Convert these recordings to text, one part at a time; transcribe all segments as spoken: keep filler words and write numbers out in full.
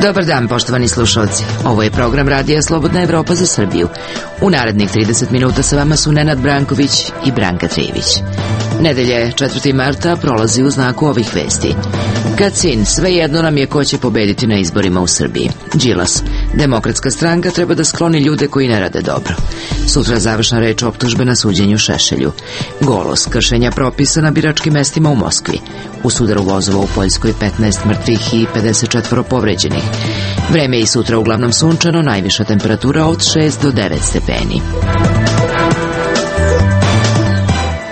Dobar dan, poštovani slušalci. Ovo je program Radija Slobodna Evropa za Srbiju. U narednih trideset minuta sa vama su Nenad Branković i Branka Trijević. Nedelje četvrtog marta prolazi u znaku ovih vesti. Kacin, svejedno nam je ko će pobediti na izborima u Srbiji. Đilas, Demokratska stranka treba da skloni ljude koji ne rade dobro. Sutra završna reč optužbe na suđenju Šešelju. Golos, kršenja propisa na biračkim mestima u Moskvi. U sudaru vozova u Poljskoj petnaest mrtvih i pedeset četvoro povređenih. Vreme je i sutra uglavnom sunčano, najviša temperatura od šest do devet stepeni.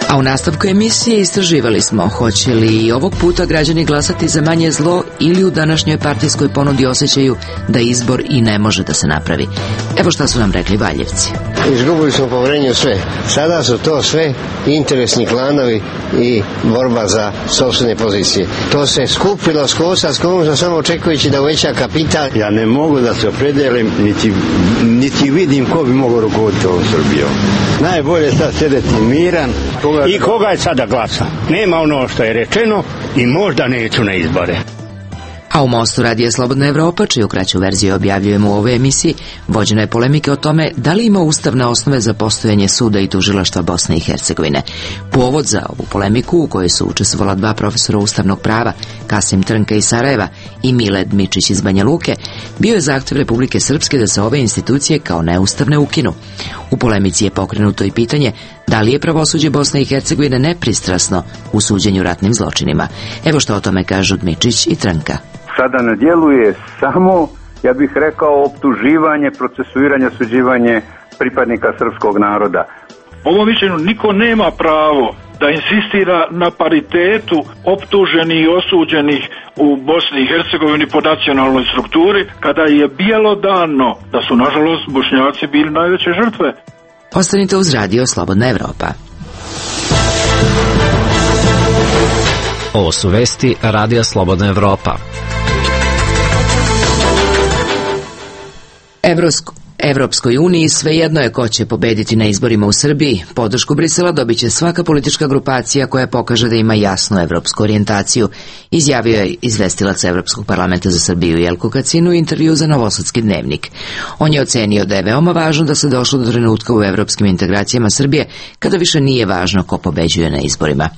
A u nastavku emisije istraživali smo hoće li i ovog puta građani glasati za manje zlo ili u današnjoj partijskoj ponudi osjećaju da izbor i ne može da se napravi. Evo šta su nam rekli Valjevci. Izgubili smo poverenje u sve. Sada su to sve interesni klanovi i borba za sopstvene pozicije. To se skupilo s kosa s kosa samo očekujući da uveća kapital. Ja ne mogu da se opredelim niti, niti vidim ko bi mogao rukovoditi ovom Srbijom. Najbolje je sad sedeti miran. Koga... I koga je sada glasa? Nema ono što je rečeno i možda neću na izbore. A u Mostu Radija Slobodna Evropa, čiju kraću verziju objavljujemo u ovoj emisiji, vođena je polemike o tome da li ima ustavne osnove za postojanje suda i tužilaštva Bosne i Hercegovine. Povod za ovu polemiku, u kojoj su učestvovala dva profesora ustavnog prava, Kasim Trnka iz Sarajeva i Miled Mičić iz Banja Luke, bio je zahtev Republike Srpske da se ove institucije kao neustavne ukinu. U polemici je pokrenuto i pitanje da li je pravosuđe Bosne i Hercegovine nepristrasno u suđenju ratnim zločinima. Evo što o tome kažu Mičić i Trnka. Sada ne djeluje samo, ja bih rekao, optuživanje, procesuiranje, suđivanje pripadnika srpskog naroda. Po ovom mišljenju niko nema pravo da insistira na paritetu optuženih i osuđenih u Bosni i Hercegovini po nacionalnoj strukturi, kada je bjelodano da su, nažalost, Bošnjaci bili najveće žrtve. Ostanite uz Radio Slobodna Evropa. Ovo su vesti Radija Slobodna Evropa. Evropsko Evropskoj uniji svejedno je ko će pobediti na izborima u Srbiji. Podršku Brisela dobit će svaka politička grupacija koja pokaže da ima jasnu evropsku orijentaciju, izjavio je izvestilac Evropskog parlamenta za Srbiju Jelko Kacin u intervju za Novosadski dnevnik. On je ocenio da je veoma važno da se došlo do trenutka u evropskim integracijama Srbije kada više nije važno ko pobeđuje na izborima.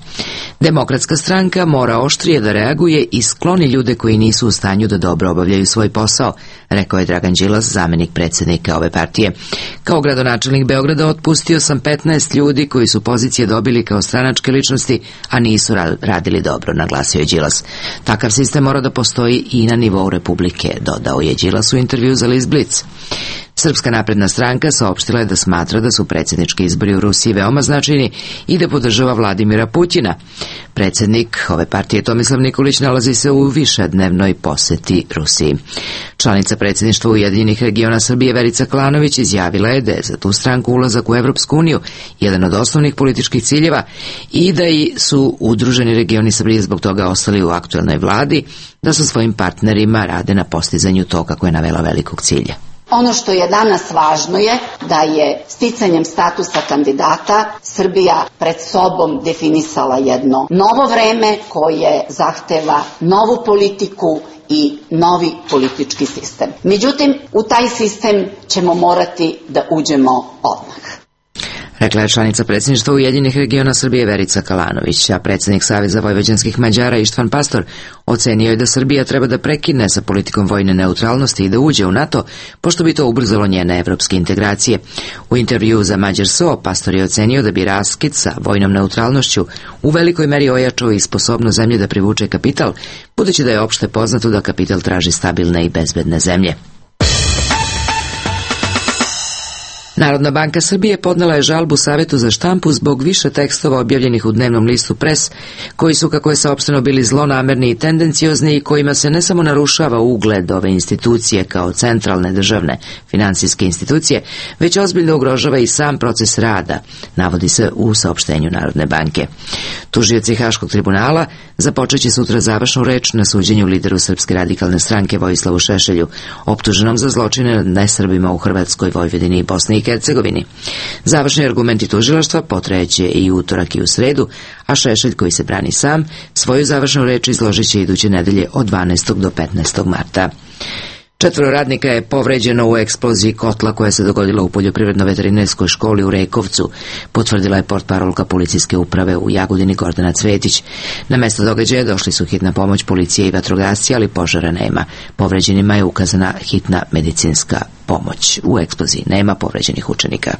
Demokratska stranka mora oštrije da reaguje i skloni ljude koji nisu u stanju da dobro obavljaju svoj posao, rekao je Dragan Đilas, zamenik predsjednika ove partije. Kao gradonačelnik Beograda otpustio sam petnaest ljudi koji su pozicije dobili kao stranačke ličnosti, a nisu radili dobro, naglasio je Đilas. Takav sistem mora da postoji i na nivou Republike, dodao je Đilas u intervju za List Blic. Srpska napredna stranka saopštila je da smatra da su predsjednički izbori u Rusiji veoma značajni i da podržava Vladimira Putina. Predsjednik ove partije Tomislav Nikolić nalazi se u višednevnoj poseti Rusiji. Članica predsjedništva Ujedinjenih regiona Srbije Verica Kalanović izjavila je da je za tu stranku ulazak u Evropsku uniju jedan od osnovnih političkih ciljeva i da i su udruženi regioni Srbije zbog toga ostali u aktuelnoj vladi, da sa svojim partnerima rade na postizanju to, kako je navela, velikog cilja. Ono što je danas važno je da je sticanjem statusa kandidata Srbija pred sobom definisala jedno novo vreme koje zahteva novu politiku i novi politički sistem. Međutim, u taj sistem ćemo morati da uđemo odmah. Rekla je članica predsjedništva Ujedinjenih regiona Srbije Verica Kalanović, a predsjednik Saveza vojvođanskih Mađara Ištvan Pastor ocenio je da Srbija treba da prekine sa politikom vojne neutralnosti i da uđe u NATO, pošto bi to ubrzalo njene evropske integracije. U intervju za Mađar S O Pastor je ocenio da bi raskid sa vojnom neutralnošću u velikoj meri ojačao i sposobnost zemlje da privuče kapital, budući da je opšte poznato da kapital traži stabilne i bezbedne zemlje. Narodna banka Srbije podnela je žalbu Savetu za štampu zbog više tekstova objavljenih u dnevnom listu Pres, koji su, kako je saopšteno, bili zlonamerni i tendenciozni i kojima se ne samo narušava ugled ove institucije kao centralne državne finansijske institucije, već ozbiljno ugrožava i sam proces rada, navodi se u saopštenju Narodne banke. Tužioci Haškog tribunala započeće sutra završnu reč na suđenju lideru Srpske radikalne stranke Vojislavu Šešelju, optuženom za zločine nad nesrbima u Hrvatskoj, Vojvodini i Bosni i Hercegovini. Završni argumenti tužilaštva potrajeće i utorak i u sredu, a Šešelj, koji se brani sam, svoju završnu reč izložit će iduće nedelje od dvanaestog do petnaestog marta. Četvoro radnika je povređeno u eksploziji kotla koja se dogodila u poljoprivredno-veterinarskoj školi u Rekovcu, potvrdila je portparolka policijske uprave u Jagodini Gordana Cvetić. Na mesto događaja došli su hitna pomoć, policije i vatrogasci, ali požara nema. Povređenima je ukazana hitna medicinska pomoć. U eksploziji nema povređenih učenika.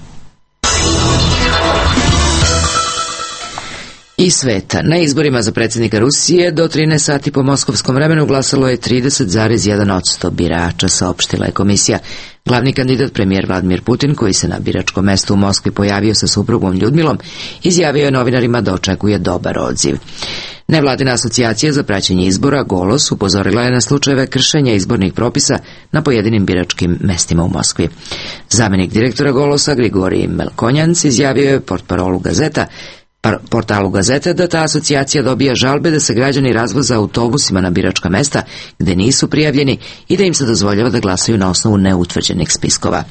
I sveta. Na izborima za predsjednika Rusije do trinaest sati po moskovskom vremenu glasalo je trideset zarez jedan posto birača, saopštila je komisija. Glavni kandidat, premijer Vladimir Putin, koji se na biračkom mestu u Moskvi pojavio sa suprugom Ljudmilom, izjavio je novinarima da očekuje dobar odziv. Nevladina asocijacija za praćenje izbora Golos upozorila je na slučajeve kršenja izbornih propisa na pojedinim biračkim mestima u Moskvi. Zamenik direktora Golosa Grigorij Melkonjanc izjavio je portparolu Gazeta portalu Gazete da ta asocijacija dobija žalbe da se građani razvoze autobusima na biračka mesta gde nisu prijavljeni i da im se dozvoljava da glasaju na osnovu neutvrđenih spiskova.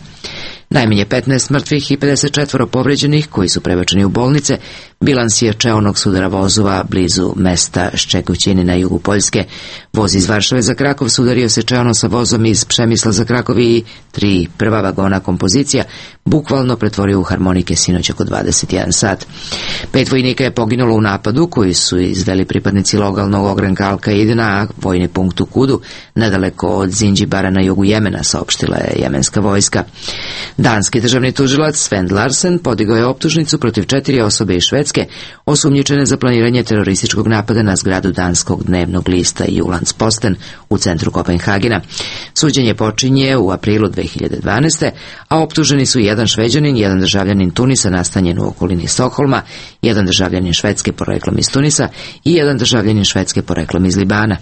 Najmanje petnaest mrtvih i pedeset četiri povređenih koji su prebačeni u bolnice. Bilans je čeonog sudara vozova blizu mesta Ščekoćini na jugu Poljske. Voz iz Varšave za Krakov sudario se čeono sa vozom iz Přemysla za Krakov i tri prva vagona kompozicija bukvalno pretvorio u harmonike sinoć oko dvadeset jedan sat. Pet vojnika je poginulo u napadu koji su izveli pripadnici lokalnog ogranka Al-Kaide na vojni punkt u Kudu, nedaleko od Zinđibara na jugu Jemena, saopštila je jemenska vojska. Danski državni tužilac Svend Larsen podigao je optužnicu protiv četiri osobe iz Švedske osumnjičene za planiranje terorističkog napada na zgradu danskog dnevnog lista Jyllands-Posten u centru Kopenhagena. Suđenje počinje u aprilu dve hiljade dvanaeste. a optuženi su jedan Šveđanin, jedan državljanin Tunisa nastanjen u okolini Stokholma, jedan državljanin Švedske poreklom iz Tunisa i jedan državljanin Švedske poreklom iz Libana.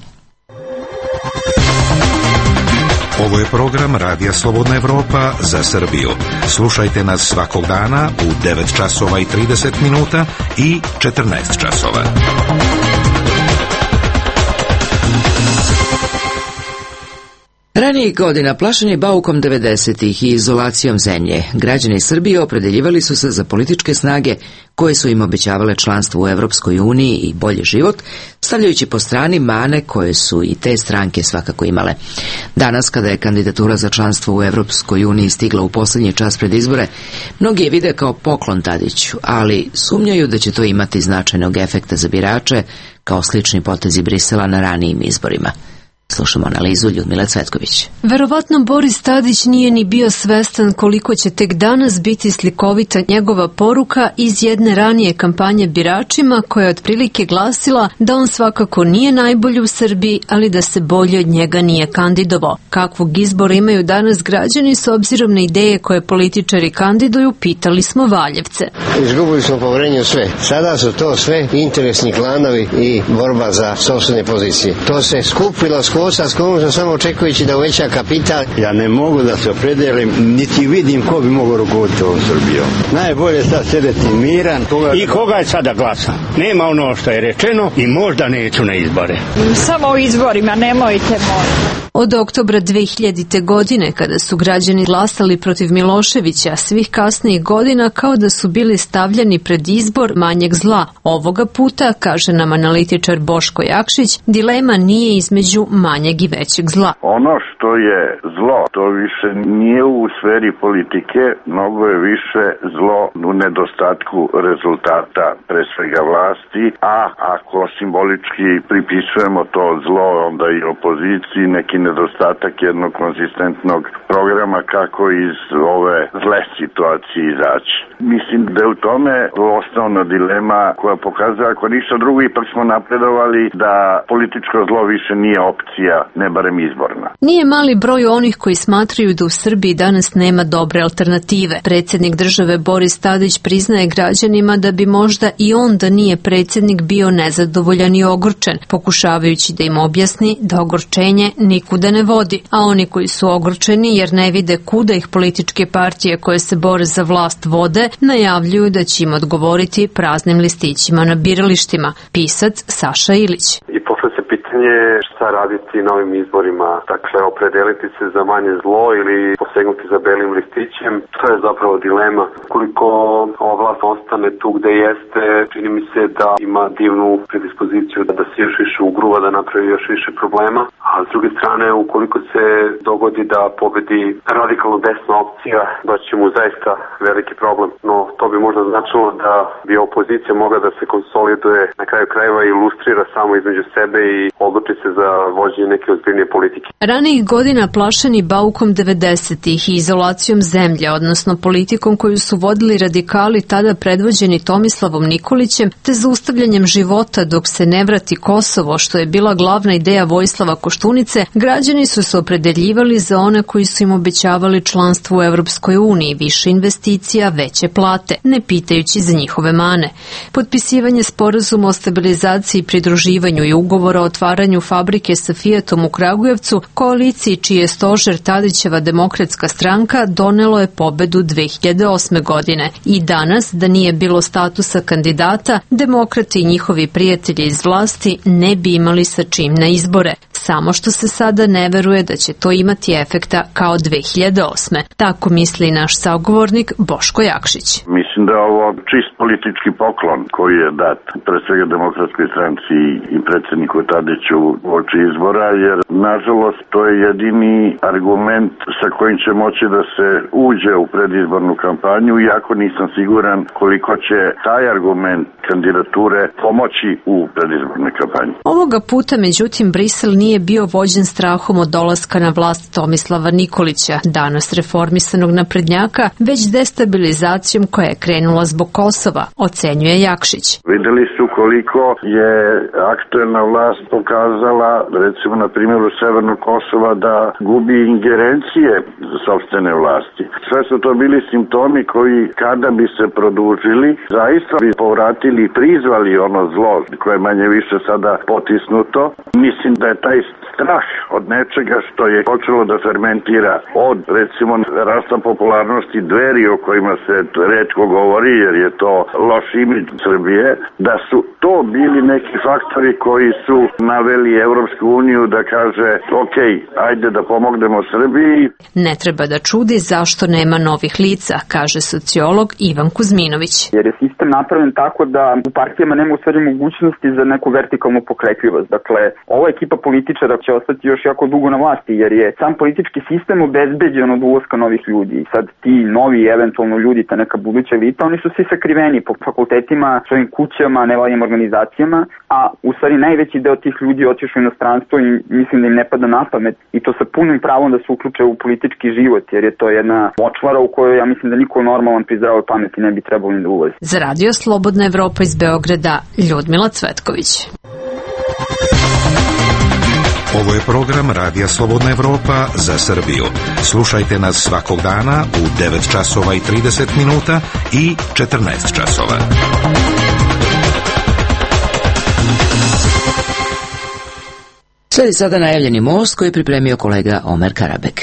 Ovo je program Radija Slobodna Evropa za Srbiju. Slušajte nas svakog dana u devet časova i trideset minuta i četrnaest časova. Ranijih godina plašeni baukom devedesetih i izolacijom zemlje, građani Srbije opredeljivali su se za političke snage koje su im obećavale članstvo u Evropskoj uniji i bolji život, stavljajući po strani mane koje su i te stranke svakako imale. Danas, kada je kandidatura za članstvo u Evropskoj uniji stigla u posljednji čas pred izbore, mnogi je vide kao poklon Tadiću, ali sumnjaju da će to imati značajnog efekta za birače, kao slični potezi Brisela na ranijim izborima. Slušamo analizu Ljudmile Cvetković. Verovatno Boris Tadić nije ni bio svestan koliko će tek danas biti slikovita njegova poruka iz jedne ranije kampanje biračima koja je otprilike glasila da on svakako nije najbolji u Srbiji, ali da se bolje od njega nije kandidovao. Kakvog izbora imaju danas građani s obzirom na ideje koje političari kandiduju, pitali smo Valjevce. Izgubili smo poverenje u sve. Sada su to sve interesni klanovi i borba za sopstvene pozicije. To se skupilo s kosa s kojom samo očekujući da uveća kapital. Ja ne mogu da se opredelim, niti vidim ko bi mogao rukovoditi ovom Srbijom. Najbolje sad sedeti miran. Koga... I koga je sada glasa? Nema ono što je rečeno i možda neću na izbore. Samo u izborima, nemojte moći. Od oktobra dve hiljadite. godine, kada su građani glasali protiv Miloševića, svih kasnijih godina kao da su bili stavljani pred izbor manjeg zla. Ovoga puta, kaže nam analitičar Boško Jakšić, dilema nije između manjeg i većeg zla. Ono što je zlo, to više nije u sferi politike, mnogo je više zlo u nedostatku rezultata, pre svega vlasti, a ako simbolički pripisujemo to zlo onda i opoziciji, neki nedostatak jednog konzistentnog programa kako iz ove zle situacije izaći. Mislim da je u tome osnovna dilema koja pokazuje, ako ništa drugo, ipak smo napredovali da političko zlo više nije opcija, ne barem izborna. Nije mali broj onih koji smatraju da u Srbiji danas nema dobre alternative. Predsjednik države Boris Tadić priznaje građanima da bi možda i on, da nije predsjednik, bio nezadovoljan i ogorčen, pokušavajući da im objasni da ogorčenje nikuda ne vodi, a oni koji su ogorčeni jer ne vide kuda ih političke partije koje se bore za vlast vode, najavljuju da će im odgovoriti praznim listićima na biralištima. Pisac Saša Ilić. I posle se pita pitanje je šta raditi na ovim izborima, dakle opredeliti se za manje zlo ili posegnuti za belim listićem, to je zapravo dilema. Koliko ova vlast ostane tu gde jeste, čini mi se da ima divnu predispoziciju da se još više ugruva, da napravi još više problema, a s druge strane ukoliko se dogodi da pobedi radikalno desna opcija, da će mu zaista veliki problem, no to bi možda značilo da bi opozicija mogla da se konsoliduje na kraju krajeva i ilustrira samo između sebe i odluči se za vođenje neke ozbiljnije politike. Ranijih godina plašeni baukom devedesetih i izolacijom zemlje, odnosno politikom koju su vodili radikali tada predvođeni Tomislavom Nikolićem, te zaustavljanjem života dok se ne vrati Kosovo, što je bila glavna ideja Vojislava Koštunice, građani su se opredeljivali za one koji su im obećavali članstvo u Evropskoj uniji, više investicija, veće plate, ne pitajući za njihove mane. Potpisivanje sporazuma o stabilizaciji i pridruživanju i ugovora o otvaranju fabrike sa Fiatom u Kragujevcu, koaliciji čiji je stožer Tadićeva demokratska stranka, donelo je pobedu dve hiljade osme godine. I danas, da nije bilo statusa kandidata, demokrati i njihovi prijatelji iz vlasti ne bi imali sa čim na izbore. Samo što se sada ne veruje da će to imati efekta kao dve hiljade osme. Tako misli naš sagovornik Boško Jakšić. Mislim da je ovo čist politički poklon koji je dat pre svega demokratskoj stranci i predsjedniku Tadiću uoči izbora, jer nažalost to je jedini argument sa kojim će moći da se uđe u predizbornu kampanju, iako nisam siguran koliko će taj argument kandidature pomoći u predizbornoj kampanji. Ovoga puta, međutim, Brisel nije bio vođen strahom od dolaska na vlast Tomislava Nikolića, danas reformisanog naprednjaka, već destabilizacijom koja je krenula zbog Kosova, ocenjuje Jakšić. Videli su koliko je aktuelna vlast pokazala, recimo na primjeru Severnog Kosova, da gubi ingerencije za sopstvene vlasti. Sve su to bili simptomi koji, kada bi se produžili, zaista bi povratili i prizvali ono zlo koje je manje više sada potisnuto. Mislim da je taj strah od nečega što je počelo da fermentira od, recimo, rasta popularnosti Dveri o kojima se retko govori jer je to loš imidž Srbije, da su to bili neki faktori koji su naveli Evropsku uniju da kaže ok, ajde da pomognemo Srbiji. Ne treba da čudi zašto nema novih lica, kaže sociolog Ivan Kuzminović. Jer je sistem napravljen tako da u partijama nema u stvari mogućnosti za neku vertikalnu pokretljivost. Dakle, ova ekipa političara će ostati još jako dugo na vlasti jer je sam politički sistem obezbeđen od ulaska novih ljudi. I sad ti novi, eventualno ljudi, ta neka buduća elita, oni su svi sakriveni po fakultetima, svojim kućama, nevladnim organizacijama, a u stvari najveći deo tih ljudi otišao u inostranstvo i mislim da im ne pada na pamet i to sa punim pravom da se uključe u politički život, jer je to jedna močvara u kojoj ja mislim da niko normalan pri zdravoj pameti ne bi trebalo ni da ulazi. Za Radio Slobodna Evropa iz Beograda, Ljudmila Cvetković. Ovo je program Radija Slobodna Evropa za Srbiju. Slušajte nas svakog dana u devet časova i trideset minuta i četrnaest časova. Sledi sada najavljeni most koji je pripremio kolega Omer Karabek.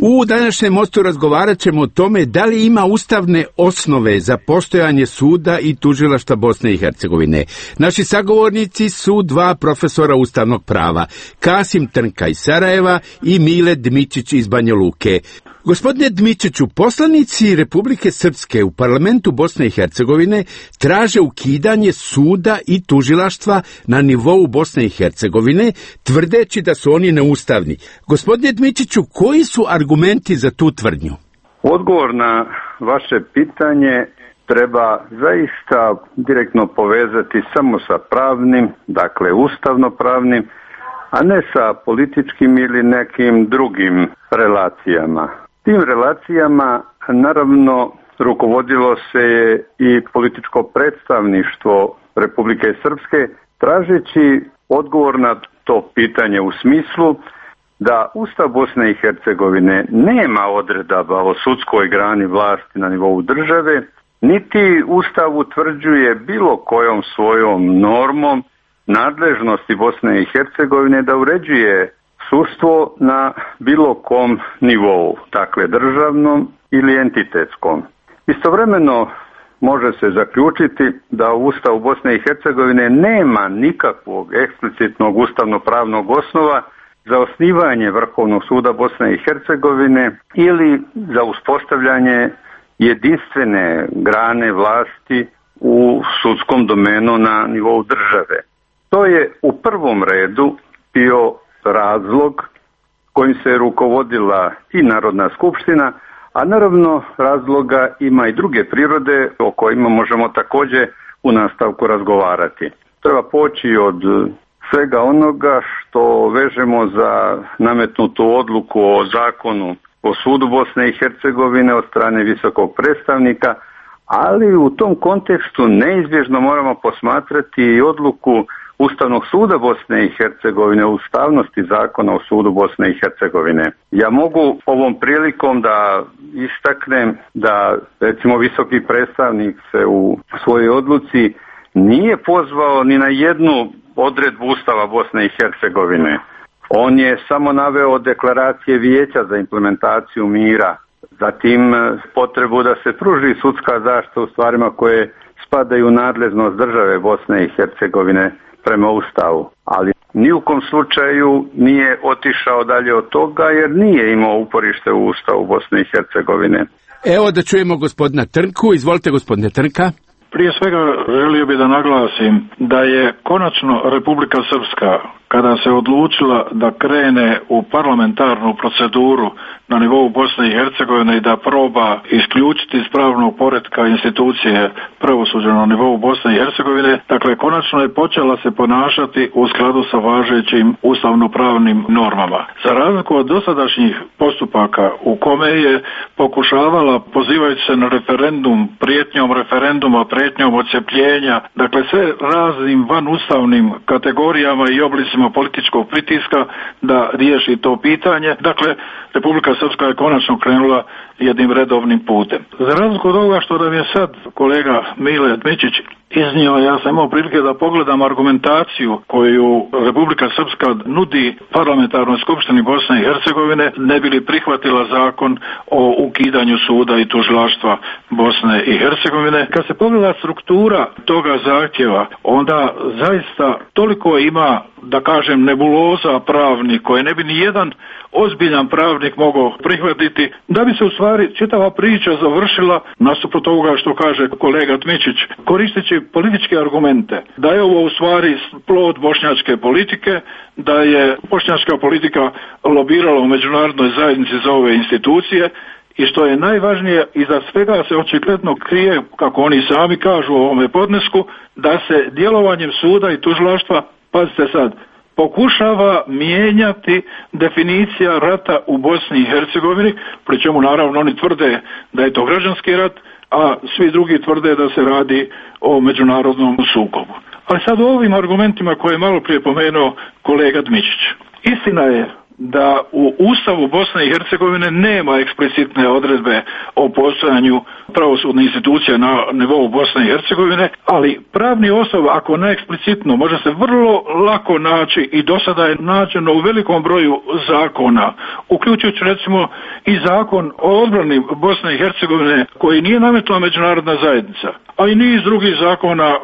U današnjem mostu razgovarat ćemo o tome da li ima ustavne osnove za postojanje suda i tužilaštva Bosne i Hercegovine. Naši sagovornici su dva profesora ustavnog prava, Kasim Trnka iz Sarajeva i Mile Dmičić iz Banja Luke. Gospodine Dmičiću, poslanici Republike Srpske u parlamentu Bosne i Hercegovine traže ukidanje suda i tužilaštva na nivou Bosne i Hercegovine, tvrdeći da su oni neustavni. Gospodine Dmičiću, koji su argumenti za tu tvrdnju? Odgovor na vaše pitanje treba zaista direktno povezati samo sa pravnim, dakle ustavno-pravnim, a ne sa političkim ili nekim drugim relacijama. Tim relacijama naravno rukovodilo se je i političko predstavništvo Republike Srpske, tražeći odgovor na to pitanje u smislu da Ustav Bosne i Hercegovine nema odredaba o sudskoj grani vlasti na nivou države, niti Ustav utvrđuje bilo kojom svojom normom nadležnosti Bosne i Hercegovine da uređuje sudstvo na bilo kom nivou, dakle državnom ili entitetskom. Istovremeno, može se zaključiti da u Ustavu Bosne i Hercegovine nema nikakvog eksplicitnog ustavno-pravnog osnova za osnivanje Vrhovnog suda Bosne i Hercegovine ili za uspostavljanje jedinstvene grane vlasti u sudskom domenu na nivou države. To je u prvom redu bio razlog kojim se rukovodila i Narodna skupština, a naravno razloga ima i druge prirode o kojima možemo također u nastavku razgovarati. Treba poći od svega onoga što vežemo za nametnutu odluku o zakonu o sudu Bosne i Hercegovine od strane visokog predstavnika, ali u tom kontekstu neizbježno moramo posmatrati i odluku Ustavnog suda Bosne i Hercegovine o ustavnosti zakona o sudu Bosne i Hercegovine. Ja mogu ovom prilikom da istaknem da recimo visoki predstavnik se u svojoj odluci nije pozvao ni na jednu odredbu Ustava Bosne i Hercegovine. On je samo naveo deklaracije Vijeća za implementaciju mira, zatim potrebu da se pruži sudska zaštita u stvarima koje spadaju u nadležnost države Bosne i Hercegovine prema Ustavu, ali ni u kom slučaju nije otišao dalje od toga jer nije imao uporište u Ustavu Bosne i Hercegovine. Evo da čujemo gospodina Trnku. Izvolite gospodine Trnka. Prije svega želio bih da naglasim da je konačno Republika Srpska, kada se odlučila da krene u parlamentarnu proceduru na nivou Bosne i Hercegovine i da proba isključiti iz pravnog poretka institucije pravosuđa na nivou Bosne i Hercegovine, dakle konačno je počela se ponašati u skladu sa važećim ustavnopravnim normama. Za razliku od dosadašnjih postupaka u kome je pokušavala, pozivajući se na referendum, prijetnjom referenduma, prijetnjom odcepljenja, dakle sve raznim vanustavnim kategorijama i oblicima političkog pritiska da riješi to pitanje. Dakle, Republika Srpska je konačno krenula jednim redovnim putem. Za razliku od ovoga što nam je sad kolega Mile Dmičić iznio, ja sam imao prilike da pogledam argumentaciju koju Republika Srpska nudi parlamentarnoj skupštini Bosne i Hercegovine, ne bi li prihvatila zakon o ukidanju suda i tužilaštva Bosne i Hercegovine. Kad se pogleda struktura toga zahtjeva, onda zaista toliko ima, da kažem, nebuloza pravnih koje ne bi ni jedan ozbiljan pravnik mogao prihvatiti, da bi se u stvari čitava priča završila, nasuprot ovoga što kaže kolega Dmičić, koristeći političke argumente, da je ovo u stvari plod bošnjačke politike, da je bošnjačka politika lobirala u međunarodnoj zajednici za ove institucije i što je najvažnije, iza svega se očigledno krije, kako oni sami kažu u ovome podnesku, da se djelovanjem suda i tužilaštva, pazite sad, pokušava mijenjati definicija rata u Bosni i Hercegovini, pri čemu naravno oni tvrde da je to građanski rat, a svi drugi tvrde da se radi o međunarodnom sukobu. Ali sad u ovim argumentima koje je malo prije pomenuo kolega Dmičić. Istina je da u Ustavu Bosne i Hercegovine nema eksplicitne odredbe o postojanju pravosudnih institucija na nivou Bosne i Hercegovine, ali pravni osoba, ako ne eksplicitno, može se vrlo lako naći i do sada je nađeno u velikom broju zakona, uključujući recimo i zakon o odbrani Bosne i Hercegovine koji nije nametla međunarodna zajednica, a i niz drugih zakona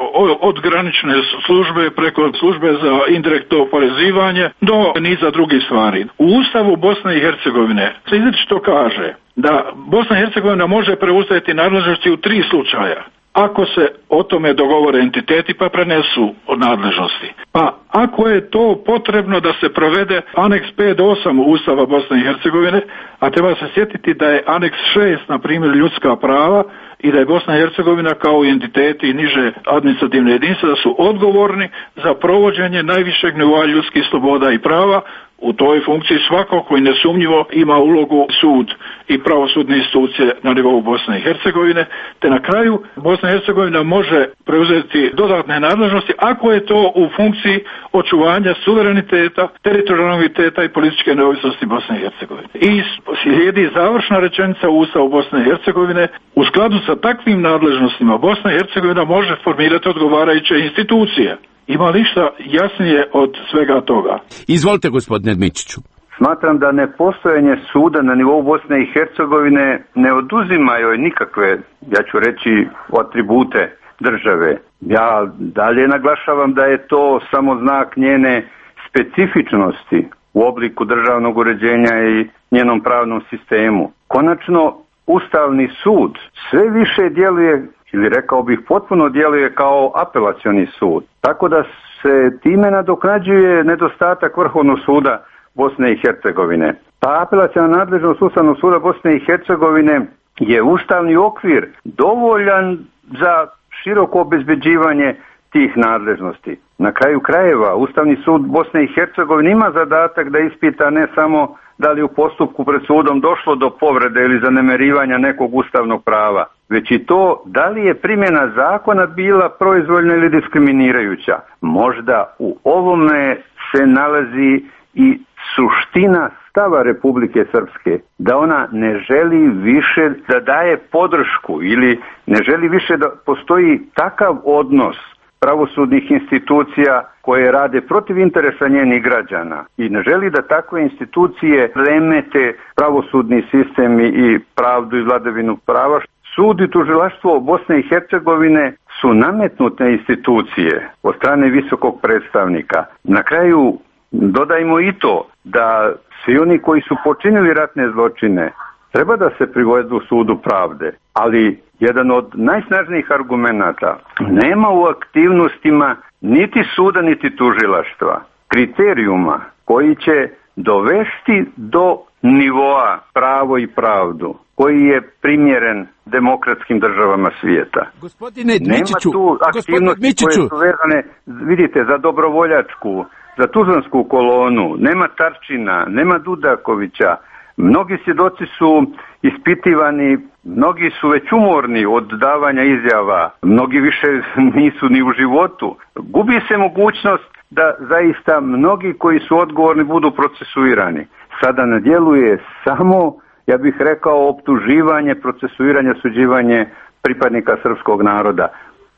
od granične službe preko službe za indirektno oporezivanje do niza drugih stvari. U Ustavu Bosne i Hercegovine se izričito kaže da Bosna i Hercegovina može preuzeti nadležnosti u tri slučaja. Ako se o tome dogovore entiteti pa prenesu od nadležnosti. Pa ako je to potrebno da se provede aneks pet do osam Ustava Bosne i Hercegovine, a treba se sjetiti da je aneks šest, na primjer, ljudska prava i da je Bosna i Hercegovina kao i entiteti i niže administrativne jedinice da su odgovorni za provođenje najvišeg nivoa ljudskih sloboda i prava. U toj funkciji svako koji nesumnjivo ima ulogu sud i pravosudne institucije na nivou Bosne i Hercegovine, te na kraju Bosna i Hercegovina može preuzeti dodatne nadležnosti ako je to u funkciji očuvanja suvereniteta, teritorijalnog i političke neovisnosti Bosne i Hercegovine. I slijedi završna rečenica u Ustavu Bosne i Hercegovine: u skladu sa takvim nadležnostima Bosna i Hercegovina može formirati odgovarajuće institucije. Ima li šta jasnije od svega toga? Izvolite, gospodine Dmičiću. smatram da nepostojanje suda na nivou Bosne i Hercegovine ne oduzima joj nikakve, ja ću reći, atribute države. Ja dalje naglašavam da je to samo znak njene specifičnosti u obliku državnog uređenja i njenom pravnom sistemu. Konačno, Ustavni sud sve više djeluje, ili rekao bih potpuno djeluje kao apelacioni sud. Tako da se time nadoknađuje nedostatak Vrhovnog suda Bosne i Hercegovine. Ta apelaciona nadležnost Ustavnog suda Bosne i Hercegovine je ustavni okvir dovoljan za široko obezbeđivanje tih nadležnosti. Na kraju krajeva, Ustavni sud Bosne i Hercegovine ima zadatak da ispita ne samo da li u postupku pred sudom došlo do povrede ili zanemarivanja nekog ustavnog prava, već i to da li je primjena zakona bila proizvoljna ili diskriminirajuća. Možda u ovome se nalazi i suština stava Republike Srpske, da ona ne želi više da daje podršku ili ne želi više da postoji takav odnos pravosudnih institucija koje rade protiv interesa njenih građana i ne želi da takve institucije remete pravosudni sistem i pravdu i vladavinu prava. Sud i tužilaštvo Bosne i Hercegovine su nametnute institucije od strane visokog predstavnika. Na kraju dodajmo i to da svi oni koji su počinili ratne zločine treba da se privedu sudu pravde, ali jedan od najsnažnijih argumenata nema u aktivnostima niti suda niti tužilaštva kriterijuma koji će dovesti do nivoa pravo i pravdu koji je primjeren demokratskim državama svijeta. Gospodine Dmičiću, nema tu aktivnosti koje su vezane, vidite, za dobrovoljačku, za Tuzlansku kolonu, nema Tarčina, nema Dudakovića. Mnogi svjedoci su ispitivani, mnogi su već umorni od davanja izjava, mnogi više nisu ni u životu. Gubi se mogućnost da zaista mnogi koji su odgovorni budu procesuirani. Sada na djelu je samo, ja bih rekao, optuživanje, procesuiranje, suđivanje pripadnika srpskog naroda.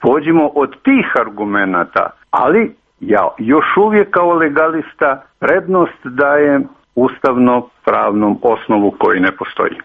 Pođimo od tih argumenata, ali ja još uvijek kao legalista prednost dajem ustavno-pravnom osnovu koji ne postoji.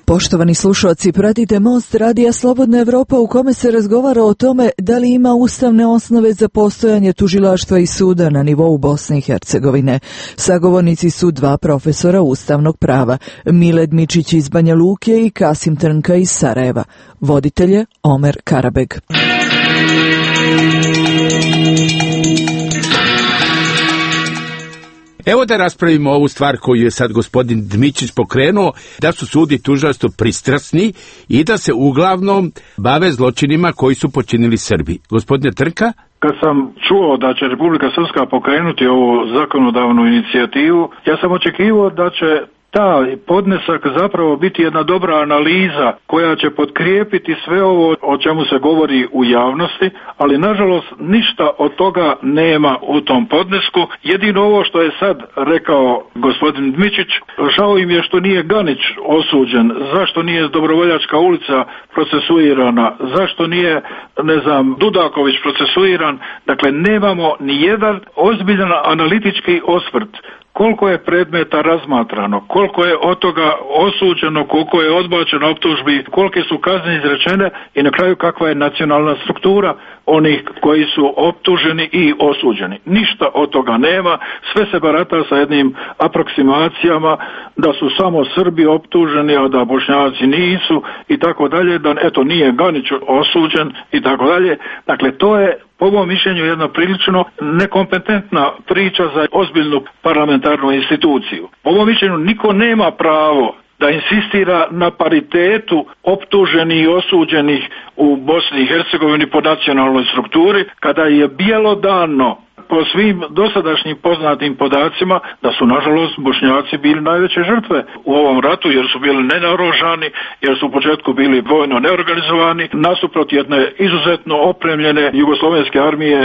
Poštovani slušalci, pratite Most Radija Slobodna Evropa u kome se razgovara o tome da li ima ustavne osnove za postojanje tužilaštva i suda na nivou Bosne i Hercegovine. Sagovornici su dva profesora ustavnog prava, Mile Dmičić iz Banja Luke i Kasim Trnka iz Sarajeva. Voditelj je Omer Karabeg. Evo da raspravimo ovu stvar koju je sad gospodin Dmičić pokrenuo, da su sud i tužilaštvo pristrasni i da se uglavnom bave zločinima koji su počinili Srbi. Gospodine Trnka? Kad sam čuo da će Republika Srpska pokrenuti ovu zakonodavnu inicijativu, ja sam očekivao da će taj podnesak zapravo biti jedna dobra analiza koja će potkrijepiti sve ovo o čemu se govori u javnosti, ali nažalost ništa od toga nema u tom podnesku. Jedino ovo što je sad rekao gospodin Dmičić, žao im je što nije Ganić osuđen, zašto nije Dobrovoljačka ulica procesuirana, zašto nije, ne znam, Dudaković procesuiran. Dakle, nemamo ni jedan ozbiljan analitički osvrt. Koliko je predmeta razmatrano, koliko je od toga osuđeno, koliko je odbačeno optužbi, kolike su kazne izrečene i na kraju kakva je nacionalna struktura onih koji su optuženi i osuđeni. Ništa od toga nema, sve se barata sa jednim aproksimacijama da su samo Srbi optuženi, a da Bošnjaci nisu i tako dalje, da eto nije Ganić osuđen i tako dalje. Dakle, to je po mom mišljenju jedna prilično nekompetentna priča za ozbiljnu parlamentarnu instituciju. Po mom mišljenju niko nema pravo da insistira na paritetu optuženih i osuđenih u Bosni i Hercegovini po nacionalnoj strukturi, kada je bjelodano po svim dosadašnjim poznatim podacima da su nažalost Bošnjaci bili najveće žrtve u ovom ratu, jer su bili nenaoružani, jer su u početku bili vojno neorganizovani, nasuprot jedne izuzetno opremljene jugoslovenske armije,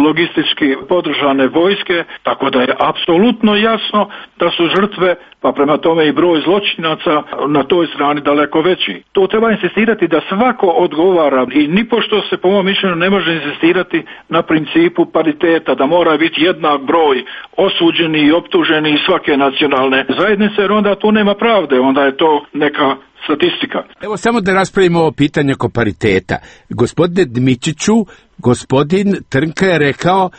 logistički podržane vojske, tako da je apsolutno jasno da su žrtve, pa prema tome i broj zločinaca na toj strani daleko veći. To treba insistirati da svako odgovara i nipošto se po mom mišljenju ne može insistirati na principu pariteta, da mora biti jednak broj osuđeni i optuženi iz svake nacionalne zajednice, jer onda tu nema pravde, onda je to neka statistika. Evo samo da raspravimo ovo pitanje oko pariteta. Gospodine Dmičiću, gospodin Trnka je rekao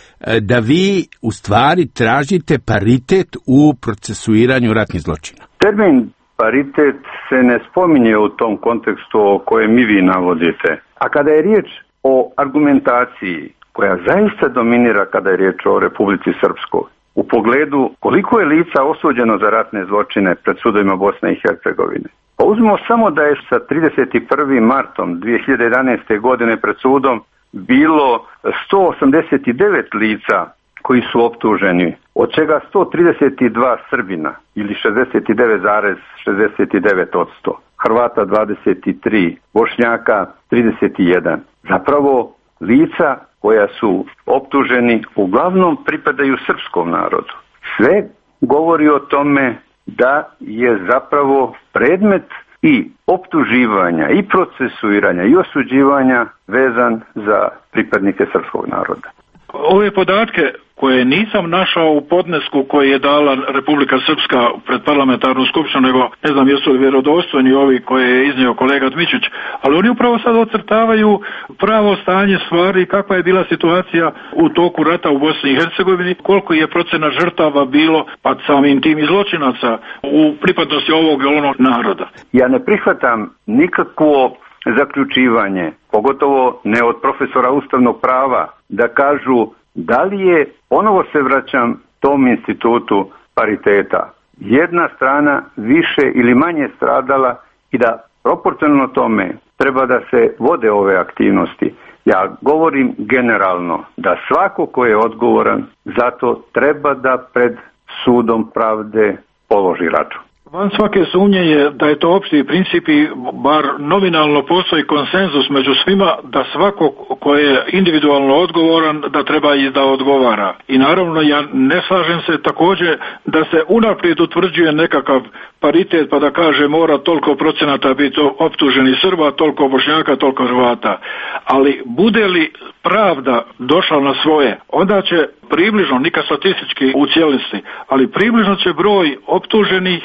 da vi u stvari tražite paritet u procesuiranju ratnih zločina. Termin paritet se ne spominje u tom kontekstu o kojem mi vi navodite. A kada je riječ o argumentaciji koja zaista dominira kada je riječ o Republici Srpskoj, u pogledu koliko je lica osuđeno za ratne zločine pred sudovima Bosne i Hercegovine. Pa uzmimo samo da je sa trideset prvim martom dvije hiljade jedanaeste. godine pred sudom bilo sto osamdeset devet lica koji su optuženi, od čega sto trideset dva Srbina ili šezdeset devet zarez šezdeset devet posto, Hrvata dvadeset tri, Bošnjaka trideset jedan. Zapravo lica koja su optuženi uglavnom pripadaju srpskom narodu. Sve govori o tome da je zapravo predmet i optuživanja i procesuiranja i osuđivanja vezan za pripadnike srpskog naroda. Ove podatke koje nisam našao u podnesku koji je dala Republika Srpska pred parlamentarnu skupštinu, nego ne znam jesu li vjerodostojni ovi koje je iznio kolega Dmičić, ali oni upravo sad ocrtavaju pravo stanje stvari, kakva je bila situacija u toku rata u Bosni i Hercegovini, koliko je procena žrtava bilo, pa samim tim i zločinaca u pripadnosti ovog ili onog naroda. Ja ne prihvatam nikakvo zaključivanje, pogotovo ne od profesora ustavnog prava, da kažu da li je, ponovo se vraćam tom institutu pariteta, jedna strana više ili manje stradala i da proporcionalno tome treba da se vode ove aktivnosti. Ja govorim generalno da svako ko je odgovoran za to treba da pred sudom pravde položi račun. Van svake sumnje je da je to opšti princip i bar nominalno postoji konsenzus među svima da svako ko je individualno odgovoran da treba i da odgovara. I naravno ja ne slažem se također da se unaprijed utvrđuje nekakav paritet pa da kaže mora toliko procenata biti optuženi Srba, toliko Bošnjaka, toliko Hrvata. Ali bude li pravda došla na svoje, onda će približno, nikad statistički u cijelosti, ali približno će broj optuženih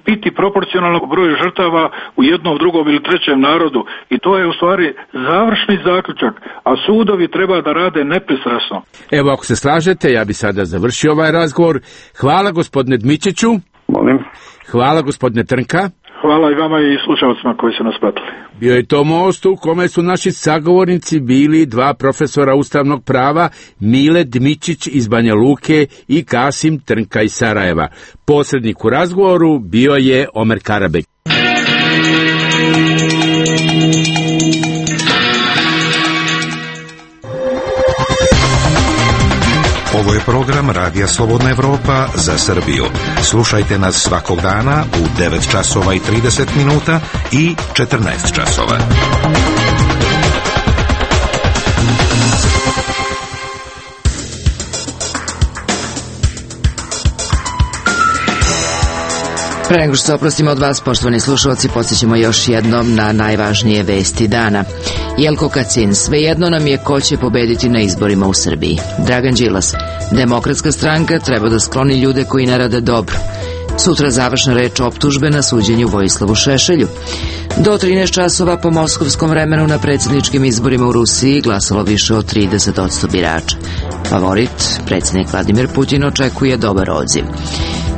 biti proporcionalno broju žrtava u jednom, drugom ili trećem narodu i to je u stvari završni zaključak, a sudovi treba da rade nepristrasno. Evo ako se slažete, ja bi sada završio ovaj razgovor. Hvala gospodine Dmičiću. Molim. Hvala gospodine Trnka. Hvala i vama i slušalcima koji su nas pratili. Bio je to most u kome su naši sagovornici bili dva profesora ustavnog prava, Mile Dmičić iz Banja Luke i Kasim Trnka iz Sarajeva. Posrednik u razgovoru bio je Omer Karabek. Ovo je program Radija Slobodna Evropa za Srbiju. Slušajte nas svakog dana u devet časova i trideset minuta i četrnaest časova. Pre nego što se oprostimo od vas, poštovani slušalci, podsjećamo još jednom na najvažnije vesti dana. Jelko Kacin, svejedno nam je ko će pobediti na izborima u Srbiji. Dragan Đilas, Demokratska stranka treba da skloni ljude koji ne rade dobro. Sutra završna reč optužbe na suđenju Vojislavu Šešelju. Do trinaest časova po moskovskom vremenu na predsjedničkim izborima u Rusiji glasalo više od trideset posto birača. Favorit, predsjednik Vladimir Putin, očekuje dobar odziv.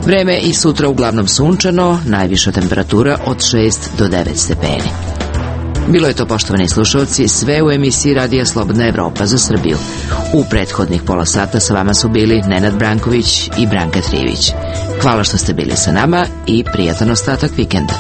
Vreme i sutra uglavnom sunčano, najviša temperatura od šest do devet stepeni. Bilo je to, poštovani slušalci, sve u emisiji Radija Slobodna Evropa za Srbiju. U prethodnih pola sata sa vama su bili Nenad Branković i Branka Trivić. Hvala što ste bili sa nama i prijatan ostatak vikenda.